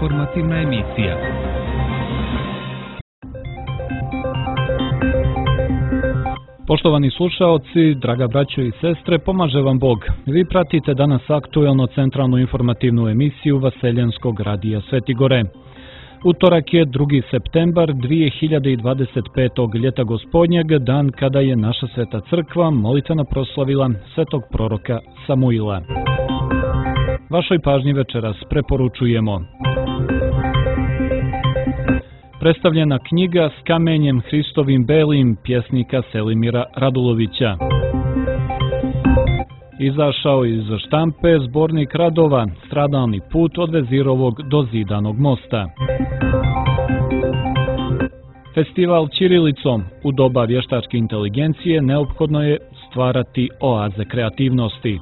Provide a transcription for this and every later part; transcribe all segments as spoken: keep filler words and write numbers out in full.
Informativna emisija. Poštovani slušaoci, draga braćo i sestre, pomaže vam Bog. Vi pratite danas aktuelno centralnu informativnu emisiju Vaseljenskog radija Svetigore. Utorak je drugi septembar dvije hiljade dvadeset petog ljeta gospodnjeg, dan kada je naša sveta crkva molitveno proslavila svetog proroka Samuila. Vašoj pažnji večeras preporučujemo predstavljena knjiga S kamenjem Hristovim belim pjesnika Selimira Radulovića. Izašao iz štampe zbornik radova Stradalni put od Vezirovog do Zidanog mosta. Festival ćirilicom. U doba vještačke inteligencije neophodno je stvarati oaze kreativnosti.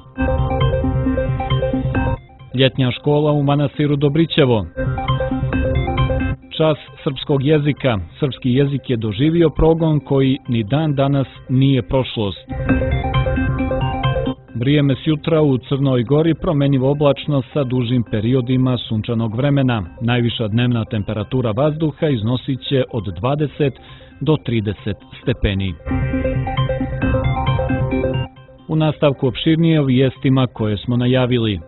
Ljetnja škola u manastiru Dobrićevo. Čas srpskog jezika. Srpski jezik je doživio progon koji ni dan danas nije prošlost. Vrijeme s jutra u Crnoj Gori promjenjivo oblačno sa dužim periodima sunčanog vremena. Najviša dnevna temperatura vazduha iznosit će od dvadeset do trideset stepeni. U nastavku opširnije o vijestima koje smo najavili.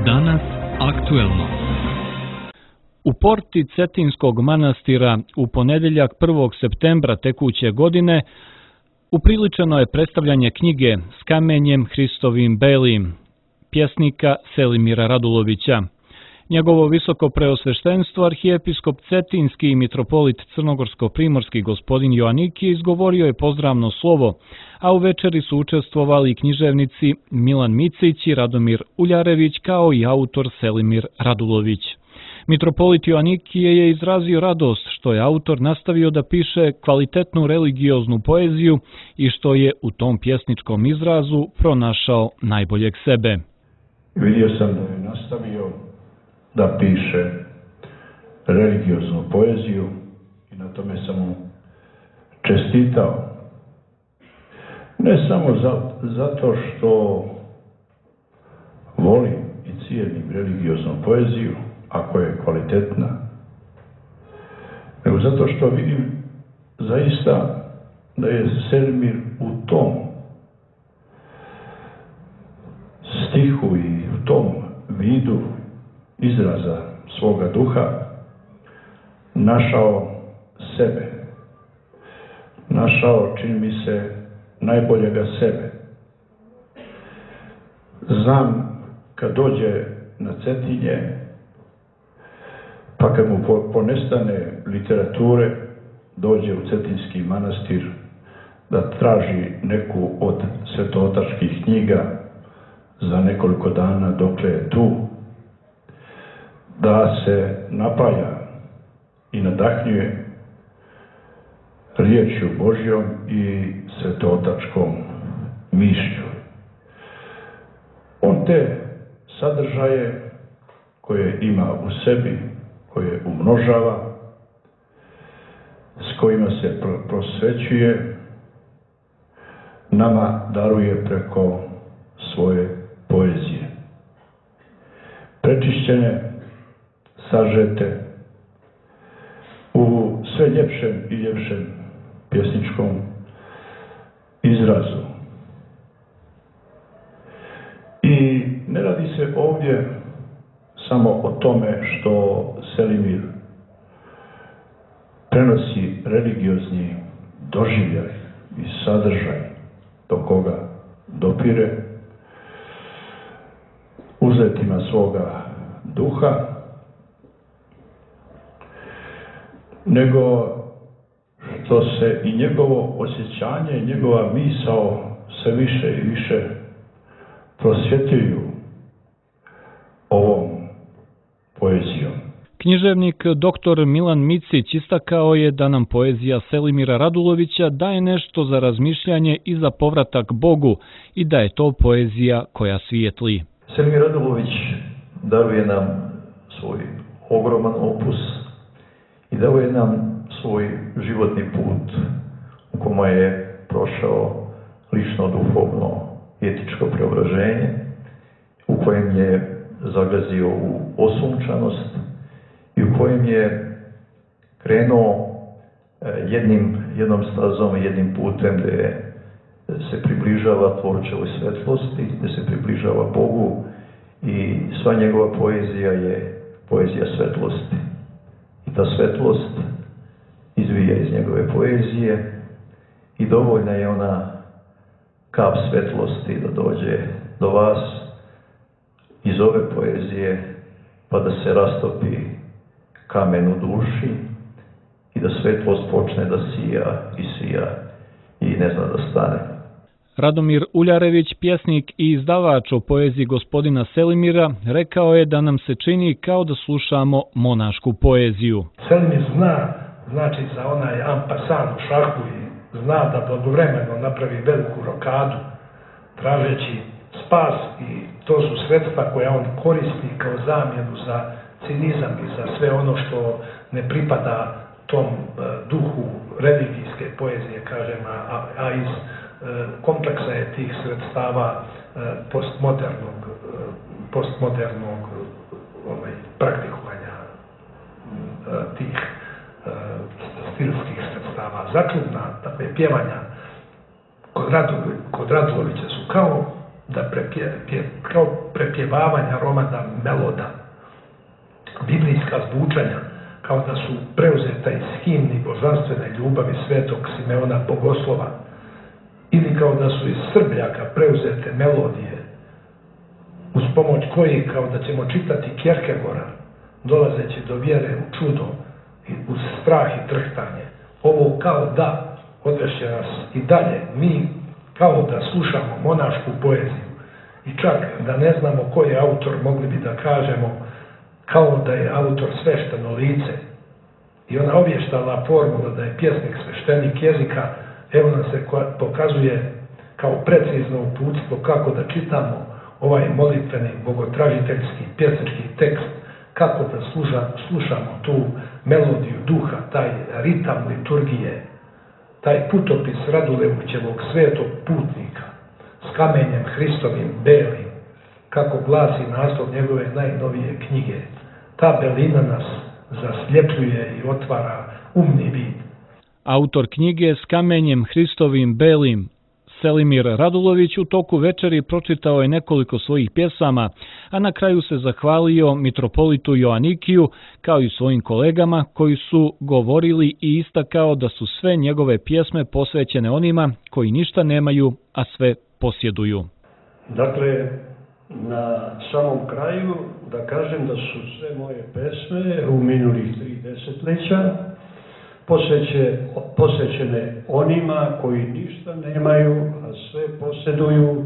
Danas aktuelno. U porti Cetinskog manastira u ponedjeljak prvog septembra tekuće godine upriličeno je predstavljanje knjige S kamenjem Hristovim belim pjesnika Selimira Radulovića. Njegovo visoko preosveštenstvo arhijepiskop Cetinski i mitropolit Crnogorsko-primorski gospodin Joaniki izgovorio je pozdravno slovo, a u večeri su učestvovali književnici Milan Micić i Radomir Uljarević kao i autor Selimir Radulović. Mitropolit Joanikije je izrazio radost što je autor nastavio da piše kvalitetnu religioznu poeziju i što je u tom pjesničkom izrazu pronašao najboljeg sebe. Vidio sam da je nastavio da piše religioznu poeziju i na tome sam mu čestitao. Ne samo za, zato što volim i cijenim religioznu poeziju, ako je kvalitetna, nego zato što vidim zaista da je Selimir u tom stihu i u tom vidu izraza svoga duha našao sebe. Našao, čini mi se, najboljega sebe. Znam kad dođe na Cetinje, pa kad mu ponestane literature, dođe u Cetinski manastir da traži neku od svetootačkih knjiga za nekoliko dana dokle je tu, da se napaja i nadahnjuje riječju Božjom i svetootačkom mišlju. On te sadržaje koje ima u sebi, koje umnožava, s kojima se prosvećuje, nama daruje preko svoje poezije. Prečišćene, sažete u sve ljepšem i ljepšem pjesničkom izrazu. I ne radi se ovdje samo o tome što Selimir prenosi religiozni doživljaj i sadržaj do koga dopire uzletima svoga duha, nego što se i njegovo osjećanje, njegova misao sve više i više prosvjetljuju ovom poezijom. Književnik doktor Milan Micić istakao je da nam poezija Selimira Radulovića daje nešto za razmišljanje i za povratak Bogu i da je to poezija koja svijetli. Selimir Radulović daruje nam svoj ogroman opus i daruje nam svoj životni put u kome je prošao lično duhovno i etičko preobraženje, u kojem je zagazio u osunčanost i u kojem je krenuo jednim, jednom stazom, jednim putem gdje se približava Tvorčevoj svetlosti, gdje se približava Bogu i sva njegova poezija je poezija svetlosti. I ta svetlost izvija iz njegove poezije i dovoljna je ona kap svetlosti da dođe do vas iz ove poezije, pa da se rastopi kamen u duši i da svetlost počne da sija i sija i ne zna da stane. Radomir Uljarević, pjesnik i izdavač o poeziji gospodina Selimira, rekao je da nam se čini kao da slušamo monašku poeziju. Selimir zna, znači za onaj ampasan u šahu i zna da blagovremeno napravi veliku rokadu, tražeći spas i to su sredstva koje on koristi kao zamjenu za cinizam i za sve ono što ne pripada tom uh, duhu religijske poezije, kažem, a, a iz uh, kompleksa je tih sredstava uh, postmodernog, uh, postmodernog uh, ovaj, praktikovanja uh, tih uh, stilskih sredstava. Zaključna, dakle, pjevanja kod, Radu, kod Radulovića su kao da prepje, pje, kao prepjevavanja romana Meloda, biblijska zvučanja, kao da su preuzeta iz himni božanstvene ljubavi svetog Simeona Bogoslova, ili kao da su iz Srbljaka preuzete melodije, uz pomoć kojih kao da ćemo čitati Kjerkegora, dolazeći do vjere u čudo i uz strah i trhtanje. Ovo kao da odvešće nas i dalje, mi kao da slušamo monašku poeziju i čak da ne znamo ko je autor, mogli bi da kažemo kao da je autor svešteno lice i ona obještala formula da je pjesnik sveštenik jezika, evo nam se pokazuje kao precizno uputstvo kako da čitamo ovaj molitveni, bogotražiteljski, pjesnički tekst, kako da sluša, slušamo tu melodiju duha, taj ritam liturgije, taj putopis Radulovićevog svetog putnika s kamenjem Hristovim belim, kako glasi naslov njegove najnovije knjige. Ta belina nas zasljepljuje i otvara umni vid. Autor knjige S kamenjem Hristovim belim, Selimir Radulović, u toku večeri pročitao je nekoliko svojih pjesama, a na kraju se zahvalio mitropolitu Joanikiju kao i svojim kolegama koji su govorili i istakao da su sve njegove pjesme posvećene onima koji ništa nemaju, a sve posjeduju. Dakle, na samom kraju da kažem da su sve moje pesme u minulih tri desetljeća posvećene onima koji ništa nemaju, a sve posjeduju,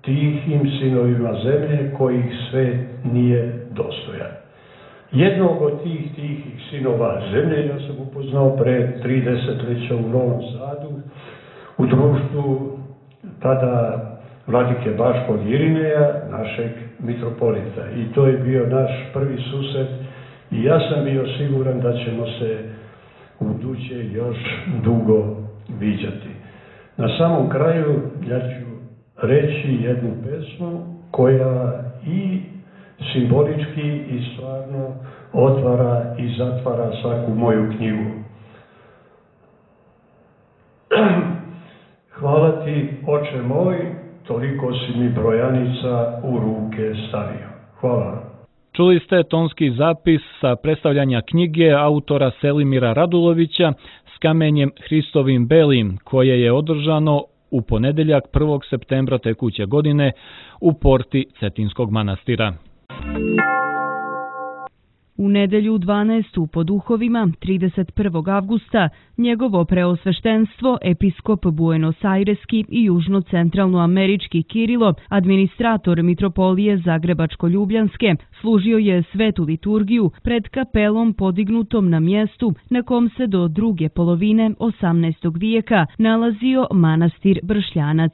tihim sinovima zemlje kojih sve nije dostojan. Jednog od tih tihih sinova zemlje ja sam upoznao pre tri desetljeća u Novom Sadu u društvu tada vladike Baškog Irineja, našeg mitropolita. I to je bio naš prvi susret i ja sam bio siguran da ćemo se u buduće još dugo viđati. Na samom kraju ja ću reći jednu pesmu koja i simbolički i stvarno otvara i zatvara svaku moju knjigu. Hvala ti, oče moj, toliko si mi brojanica u ruke stavio. Hvala. Čuli ste tonski zapis sa predstavljanja knjige autora Selimira Radulovića S kamenjem Hristovim belim, koje je održano u ponedeljak prvog septembra tekuće godine u porti Cetinskog manastira. U nedelju dvanaestu po duhovima, trideset prvog avgusta, njegovo preosveštenstvo, episkop Buenos Aireski i južno-centralnoamerički Kirilo, administrator mitropolije Zagrebačko-Ljubljanske, služio je svetu liturgiju pred kapelom podignutom na mjestu na kom se do druge polovine osamnaestog vijeka nalazio manastir Bršljanac.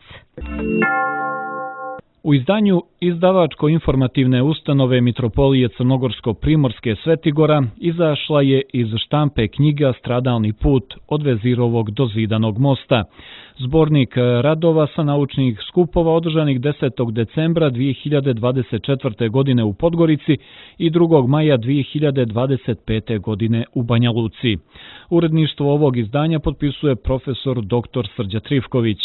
U izdanju izdavačko-informativne ustanove Mitropolije Crnogorsko-Primorske Svetigora izašla je iz štampe knjiga Stradalni put od Vezirovog do Zidanog mosta. Zbornik radova sa naučnih skupova održanih desetog decembra dvije hiljade dvadeset četvrte. godine u Podgorici i drugog maja dvije hiljade dvadeset pete. godine u Banja Luci. Uredništvo ovog izdanja potpisuje profesor doktor Srđa Trifković.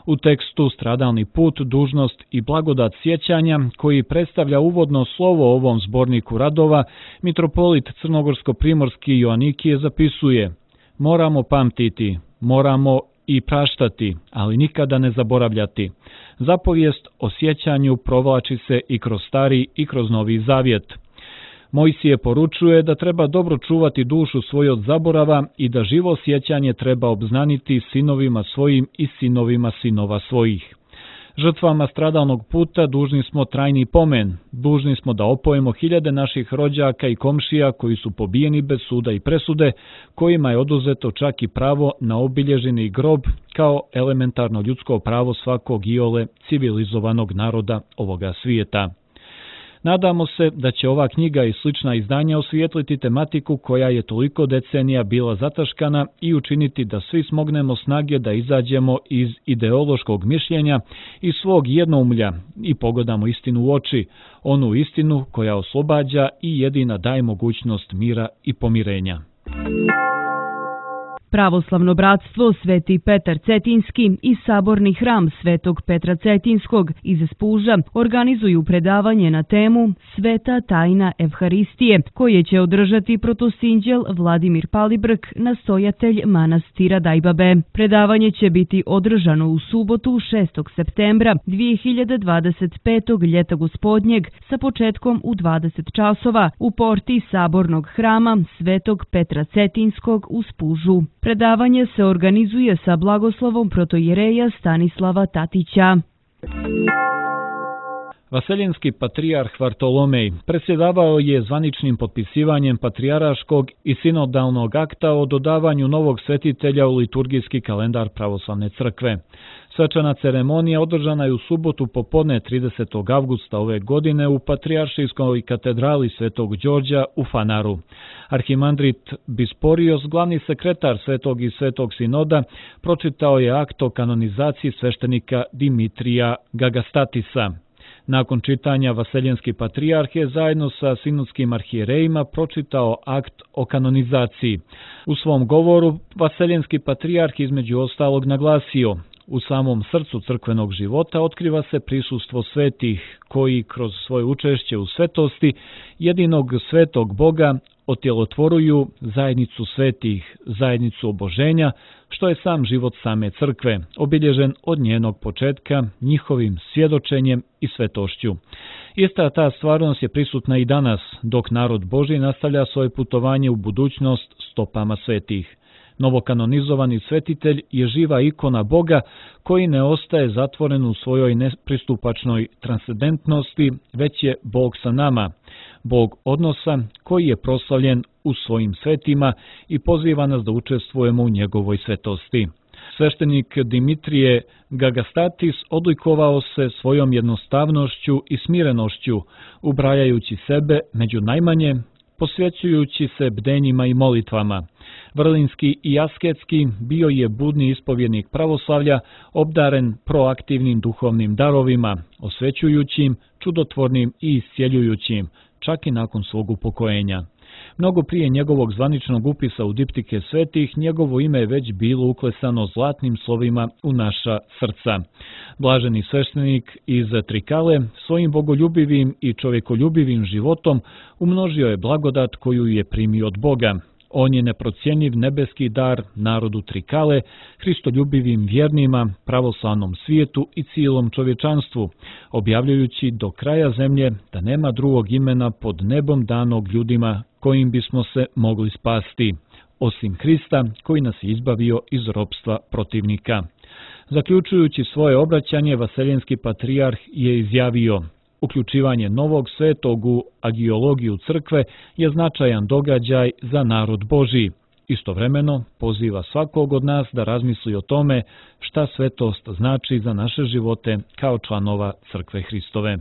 U tekstu Stradalni put, dužnost i blagodat sjećanja, koji predstavlja uvodno slovo ovom zborniku radova, mitropolit Crnogorsko-Primorski Joanikije zapisuje: moramo pamtiti, moramo i praštati, ali nikada ne zaboravljati. Zapovijest o sjećanju provlači se i kroz Stari i kroz Novi Zavjet. Mojsije poručuje da treba dobro čuvati dušu svoju od zaborava i da živo sjećanje treba obznaniti sinovima svojim i sinovima sinova svojih. Žrtvama stradalnog puta dužni smo trajni pomen, dužni smo da opojemo hiljade naših rođaka i komšija koji su pobijeni bez suda i presude, kojima je oduzeto čak i pravo na obilježeni grob kao elementarno ljudsko pravo svakog iole civilizovanog naroda ovoga svijeta. Nadamo se da će ova knjiga i slična izdanja osvijetliti tematiku koja je toliko decenija bila zataškana i učiniti da svi smognemo snage da izađemo iz ideološkog mišljenja i svog jednoumlja i pogledamo istinu u oči, onu istinu koja oslobađa i jedina daje mogućnost mira i pomirenja. Pravoslavno bratstvo Sveti Petar Cetinski i Saborni hram Svetog Petra Cetinskog iz Spuža organizuju predavanje na temu Sveta tajna Evharistije, koje će održati protosinđel Vladimir Palibrk, nastojatelj manastira Dajbabe. Predavanje će biti održano u subotu šestog septembra dvije hiljade dvadeset pete. ljeta gospodnjeg sa početkom u dvadeset časova u porti Sabornog hrama Svetog Petra Cetinskog u Spužu. Predavanje se organizuje sa blagoslovom protojereja Stanislava Tatića. Vaseljenski patrijarh Vartolomej predsjedavao je zvaničnim potpisivanjem patrijaraškog i sinodalnog akta o dodavanju novog svetitelja u liturgijski kalendar pravoslavne crkve. Svečana ceremonija održana je u subotu popodne tridesetog avgusta ove godine u Patrijaršijskoj katedrali Svetog Đorđa u Fanaru. Arhimandrit Bisporios, glavni sekretar Svetog i Svetog sinoda, pročitao je akt o kanonizaciji sveštenika Dimitrija Gagastatisa. Nakon čitanja Vaseljenski patrijarh je zajedno sa sinodskim arhijerejima pročitao akt o kanonizaciji. U svom govoru Vaseljenski patrijarh između ostalog naglasio: u samom srcu crkvenog života otkriva se prisustvo svetih, koji kroz svoje učešće u svetosti jedinog svetog Boga otjelotvoruju zajednicu svetih, zajednicu oboženja, što je sam život same crkve, obilježen od njenog početka njihovim svjedočenjem i svetošću. Ista ta stvarnost je prisutna i danas, dok narod Božji nastavlja svoje putovanje u budućnost stopama svetih. Novokanonizovani svetitelj je živa ikona Boga koji ne ostaje zatvoren u svojoj nepristupačnoj transcendentnosti, već je Bog sa nama, Bog odnosa koji je proslavljen u svojim svetima i poziva nas da učestvujemo u njegovoj svetosti. Sveštenik Dimitrije Gagastatis odlikovao se svojom jednostavnošću i smirenošću, ubrajajući sebe među najmanje, posvećujući se bdenjima i molitvama. Vrlinski i asketski bio je budni ispovjednik pravoslavlja, obdaren proaktivnim duhovnim darovima, osvećujućim, čudotvornim i iscjeljujućim, čak i nakon svog upokojenja. Mnogo prije njegovog zvaničnog upisa u diptike svetih, njegovo ime je već bilo uklesano zlatnim slovima u naša srca. Blaženi sveštenik iz Trikale svojim bogoljubivim i čovjekoljubivim životom umnožio je blagodat koju je primio od Boga. On je neprocjenjiv nebeski dar narodu Trikale, hristoljubivim vjernima, pravoslavnom svijetu i cijelom čovječanstvu, objavljujući do kraja zemlje da nema drugog imena pod nebom danog ljudima kojim bismo se mogli spasti, osim Hrista koji nas je izbavio iz ropstva protivnika. Zaključujući svoje obraćanje, Vaseljenski patrijarh je izjavio: uključivanje novog svetog u agiologiju crkve je značajan događaj za narod Božji. Istovremeno poziva svakog od nas da razmisli o tome šta svetost znači za naše živote kao članova Crkve Hristove.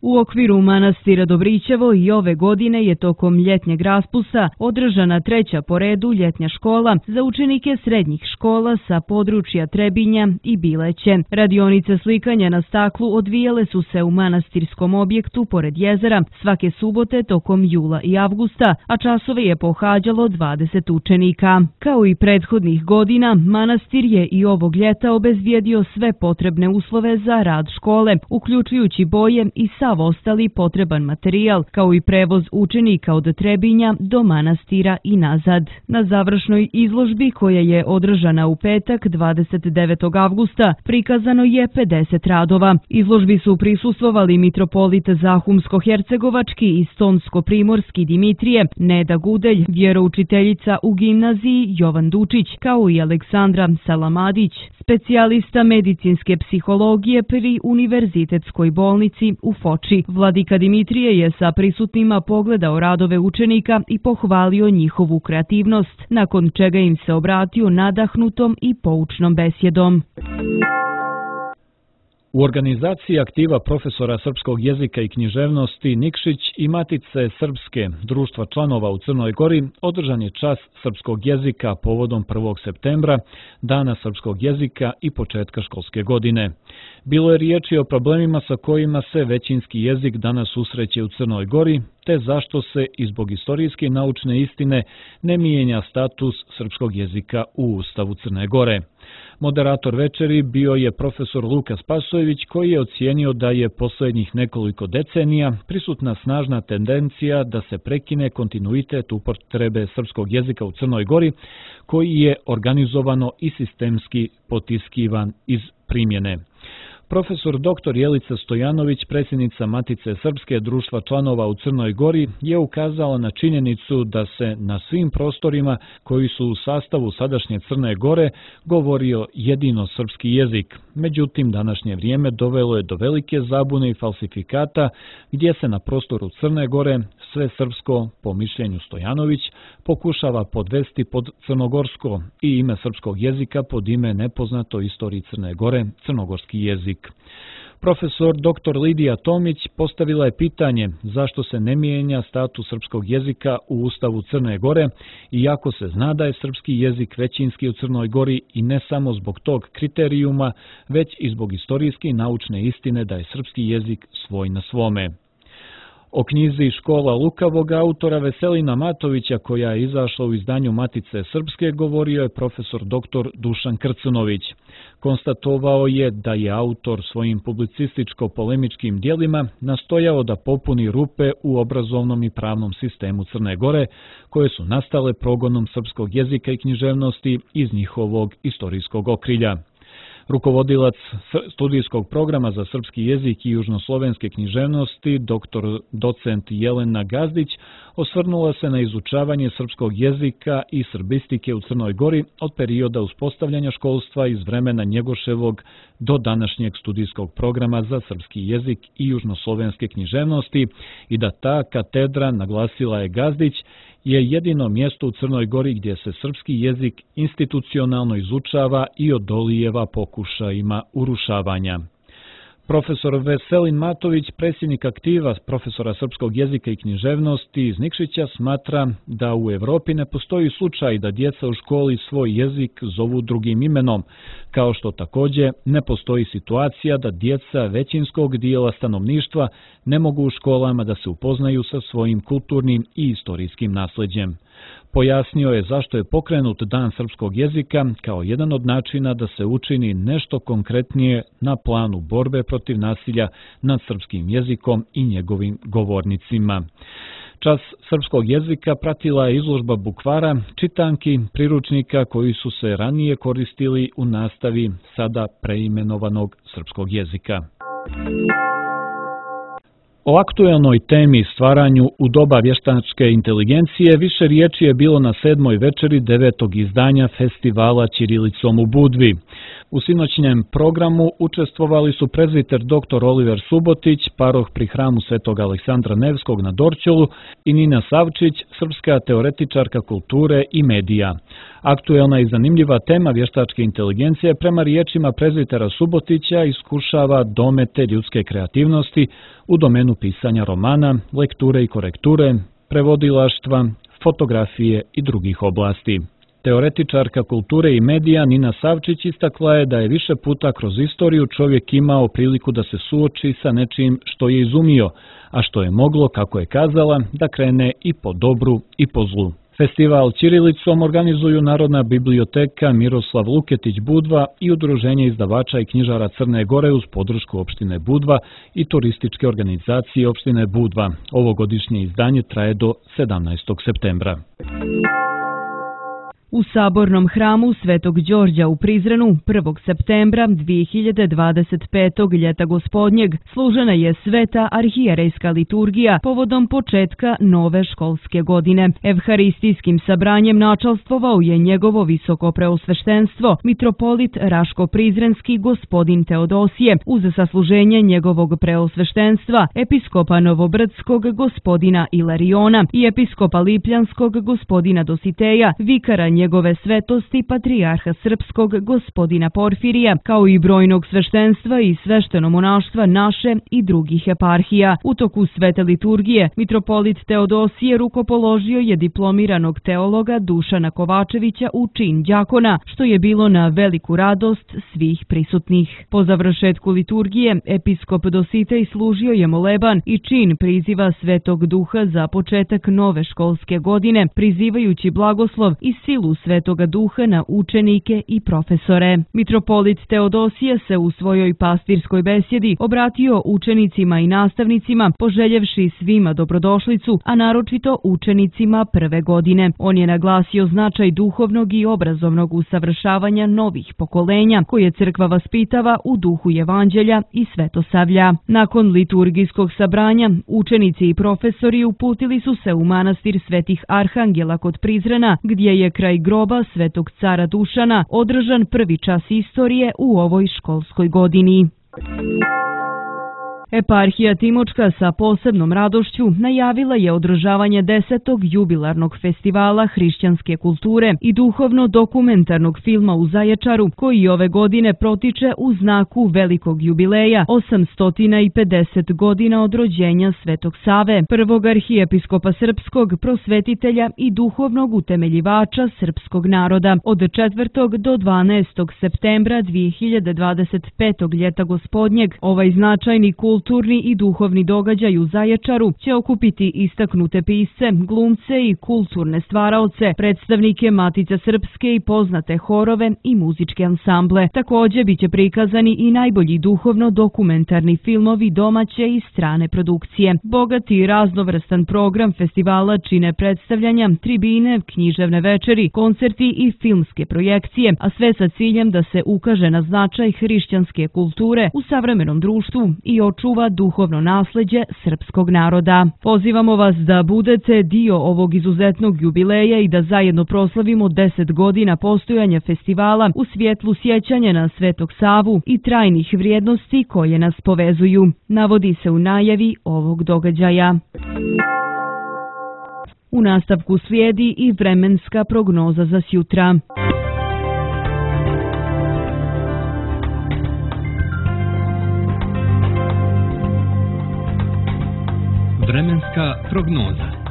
U okviru manastira Dobrićevo i ove godine je tokom ljetnjeg raspusta održana treća po redu ljetnja škola za učenike srednjih škola sa područja Trebinja i Bileće. Radionice slikanja na staklu odvijale su se u manastirskom objektu pored jezera svake subote tokom jula i avgusta, a časove je pohađalo dvadeset učenika. Kao i prethodnih godina, manastir je i ovog ljeta obezbijedio sve potrebne uslove za rad škole, uključujući boje i sa ostali potreban materijal, kao i prevoz učenika od Trebinja do manastira i nazad. Na završnoj izložbi, koja je održana u petak dvadeset devetog avgusta, prikazano je pedeset radova. Izložbi su prisustvovali mitropolit Zahumsko-Hercegovački i Stonsko-Primorski Dimitrije, Neda Gudelj, vjeroučiteljica u gimnaziji Jovan Dučić, kao i Aleksandra Salamadić, specijalista medicinske psihologije pri Univerzitetskoj bolnici u Foči. Vladika Dimitrije je sa prisutnima pogledao radove učenika i pohvalio njihovu kreativnost, nakon čega im se obratio nadahnutom i poučnom besjedom. U organizaciji aktiva profesora srpskog jezika i književnosti Nikšić i Matice Srpske, društva članova u Crnoj Gori, održan je čas srpskog jezika povodom prvog septembra, Dana srpskog jezika i početka školske godine. Bilo je riječi o problemima sa kojima se većinski jezik danas susreće u Crnoj Gori, te zašto se i zbog istorijske i naučne istine ne mijenja status srpskog jezika u Ustavu Crne Gore. Moderator večeri bio je profesor Luka Spasojević, koji je ocijenio da je posljednjih nekoliko decenija prisutna snažna tendencija da se prekine kontinuitet upotrebe srpskog jezika u Crnoj Gori, koji je organizovano i sistemski potiskivan iz primjene. Profesor doktor Jelica Stojanović, predsjednica Matice Srpske, društva članova u Crnoj Gori, je ukazala na činjenicu da se na svim prostorima koji su u sastavu sadašnje Crne Gore govorio jedino srpski jezik. Međutim, današnje vrijeme dovelo je do velike zabune i falsifikata, gdje se na prostoru Crne Gore sve srpsko, po mišljenju Stojanović, pokušava podvesti pod crnogorsko i ime srpskog jezika pod ime nepoznato istoriji Crne Gore, crnogorski jezik. Profesor doktor Lidija Tomić postavila je pitanje zašto se ne mijenja status srpskog jezika u Ustavu Crne Gore, iako se zna da je srpski jezik većinski u Crnoj Gori i ne samo zbog tog kriterijuma, već i zbog istorijske i naučne istine da je srpski jezik svoj na svome. O knjizi Škola lukavog autora Veselina Matovića, koja je izašla u izdanju Matice Srpske, govorio je profesor doktor Dušan Krcunović. Konstatovao je da je autor svojim publicističko-polemičkim dijelima nastojao da popuni rupe u obrazovnom i pravnom sistemu Crne Gore, koje su nastale progonom srpskog jezika i književnosti iz njihovog istorijskog okrilja. Rukovodilac studijskog programa za srpski jezik i južnoslovenske književnosti, doktor docent Jelena Gazdić, osvrnula se na izučavanje srpskog jezika i srbistike u Crnoj Gori od perioda uspostavljanja školstva iz vremena Njegoševog do današnjeg studijskog programa za srpski jezik i južnoslovenske književnosti i da ta katedra, naglasila je Gazdić, je jedino mjesto u Crnoj Gori gdje se srpski jezik institucionalno izučava i odolijeva pokušajima urušavanja. Profesor Veselin Matović, predsjednik aktiva profesora srpskog jezika i književnosti iz Nikšića, smatra da u Evropi ne postoji slučaj da djeca u školi svoj jezik zovu drugim imenom, kao što također ne postoji situacija da djeca većinskog dijela stanovništva ne mogu u školama da se upoznaju sa svojim kulturnim i istorijskim nasljeđem. Pojasnio je zašto je pokrenut Dan srpskog jezika kao jedan od načina da se učini nešto konkretnije na planu borbe protiv nasilja nad srpskim jezikom i njegovim govornicima. Čas srpskog jezika pratila je izložba bukvara, čitanki, priručnika koji su se ranije koristili u nastavi sada preimenovanog srpskog jezika. O aktuelnoj temi stvaranju u doba vještačke inteligencije više riječi je bilo na sedmoj večeri devetog izdanja festivala Ćirilicom u Budvi. U sinoćnjem programu učestvovali su prezbiter doktor Oliver Subotić, paroh pri hramu Svetog Aleksandra Nevskog na Dorćolu i Nina Savčić, srpska teoretičarka kulture i medija. Aktuelna i zanimljiva tema vještačke inteligencije prema riječima prezbitera Subotića iskušava domete ljudske kreativnosti u domenu pisanja romana, lekture i korekture, prevodilaštva, fotografije i drugih oblasti. Teoretičarka kulture i medija Nina Savčić istakla je da je više puta kroz istoriju čovjek imao priliku da se suoči sa nečim što je izumio, a što je moglo, kako je kazala, da krene i po dobru i po zlu. Festival ćirilicom organizuju Narodna biblioteka Miroslav Luketić Budva i Udruženje izdavača i knjižara Crne Gore uz podršku opštine Budva i turističke organizacije opštine Budva. Ovogodišnje izdanje traje do sedamnaestog septembra. U sabornom hramu Svetog Đorđa u Prizrenu prvog septembra dvije hiljade dvadeset petog ljeta gospodnjeg služena je sveta arhijerejska liturgija povodom početka nove školske godine. Evharistijskim sabranjem načalstvovao je njegovo visoko preosveštenstvo, mitropolit Raško-Prizrenski gospodin Teodosije, uz sasluženje njegovog preosveštenstva, episkopa Novobrdskog gospodina Ilariona i episkopa Lipljanskog gospodina Dositeja, vikara njegove svetosti patrijarha srpskog gospodina Porfirija, kao i brojnog sveštenstva i sveštenomonaštva naše i drugih eparhija. U toku svete liturgije mitropolit Teodosije rukopoložio je diplomiranog teologa Dušana Kovačevića u čin đakona, što je bilo na veliku radost svih prisutnih. Po završetku liturgije episkop Dositej služio je moleban i čin priziva Svetog Duha za početak nove školske godine, prizivajući blagoslov i silu Svetoga Duha na učenike i profesore. Mitropolit Teodosije se u svojoj pastirskoj besjedi obratio učenicima i nastavnicima, poželjevši svima dobrodošlicu, a naročito učenicima prve godine. On je naglasio značaj duhovnog i obrazovnog usavršavanja novih pokolenja, koje crkva vaspitava u duhu evanđelja i svetosavlja. Nakon liturgijskog sabranja, učenici i profesori uputili su se u manastir Svetih Arhangela kod Prizrena, gdje je kraj groba Svetog cara Dušana održan prvi čas istorije u ovoj školskoj godini. Eparhija Timočka sa posebnom radošću najavila je održavanje desetog jubilarnog festivala hrišćanske kulture i duhovno-dokumentarnog filma u Zaječaru, koji ove godine protiče u znaku velikog jubileja osamsto pedeset godina od rođenja Svetog Save, prvog arhijepiskopa srpskog, prosvetitelja i duhovnog utemeljivača srpskog naroda. Od četvrtog do dvanaestog septembra dvije hiljade dvadeset petog ljeta gospodnjeg ovaj značajni kult Kulturni i duhovni događaj u Zaječaru će okupiti istaknute pisce, glumce i kulturne stvaraoce, predstavnike Matice Srpske i poznate horove i muzičke ansamble. Također biće prikazani i najbolji duhovno-dokumentarni filmovi domaće i strane produkcije. Bogati i raznovrstan program festivala čine predstavljanja, tribine, književne večeri, koncerti i filmske projekcije, a sve sa ciljem da se ukaže na značaj hrišćanske kulture u savremenom društvu i očuva duhovno nasleđe srpskog naroda. Pozivamo vas da budete dio ovog izuzetnog jubileja i da zajedno proslavimo deset godina postojanja festivala u svjetlu sjećanja na Svetog Savu i trajnih vrijednosti koje nas povezuju, navodi se u najavi ovog događaja. U nastavku slijedi i vremenska prognoza za sjutra. Vremenska prognoza.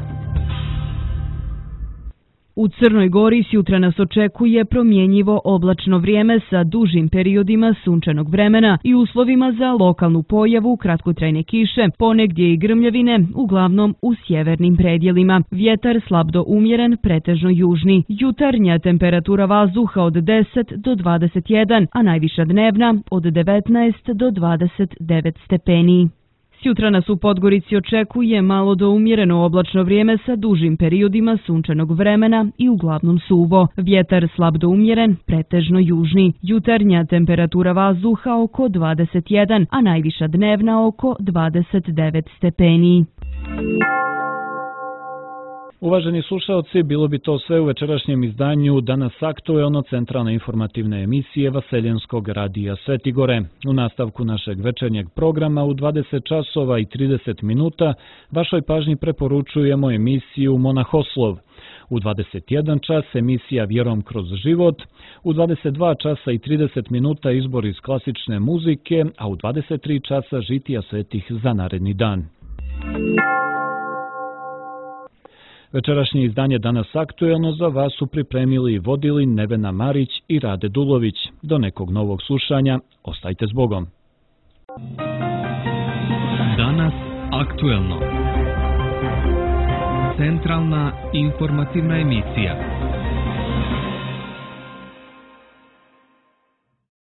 U Crnoj Gori sjutra nas očekuje promjenjivo oblačno vrijeme sa dužim periodima sunčanog vremena i uslovima za lokalnu pojavu kratkotrajne kiše, ponegdje i grmljavine, uglavnom u sjevernim predjelima. Vjetar slab do umjeren, pretežno južni. Jutarnja temperatura vazduha od deset do dvadeset jedan, a najviša dnevna od devetnaest do dvadeset devet stepeni. Sjutra nas u Podgorici očekuje malo do umjereno oblačno vrijeme sa dužim periodima sunčanog vremena i uglavnom suvo. Vjetar slab do umjeren, pretežno južni. Jutarnja temperatura vazduha oko dvadeset jedan, a najviša dnevna oko dvadeset devet stepeni. Uvaženi slušalci, bilo bi to sve u večerašnjem izdanju Danas aktuelno centralne informativne emisije Vaseljenskog radija Svetigore. U nastavku našeg večernjeg programa u dvadeset časova i trideset minuta vašoj pažnji preporučujemo emisiju Monahoslov. U dvadeset jedan čas emisija Vjerom kroz život, u dvadeset dva časa i trideset minuta izbor iz klasične muzike, a u dvadeset tri časa žitija svetih za naredni dan. Večerašnje izdanje Danas aktuelno za vas su pripremili i vodili Nevena Marić i Rade Dulović. Do nekog novog slušanja, ostajte s Bogom. Danas aktuelno. Centralna informativna emisija.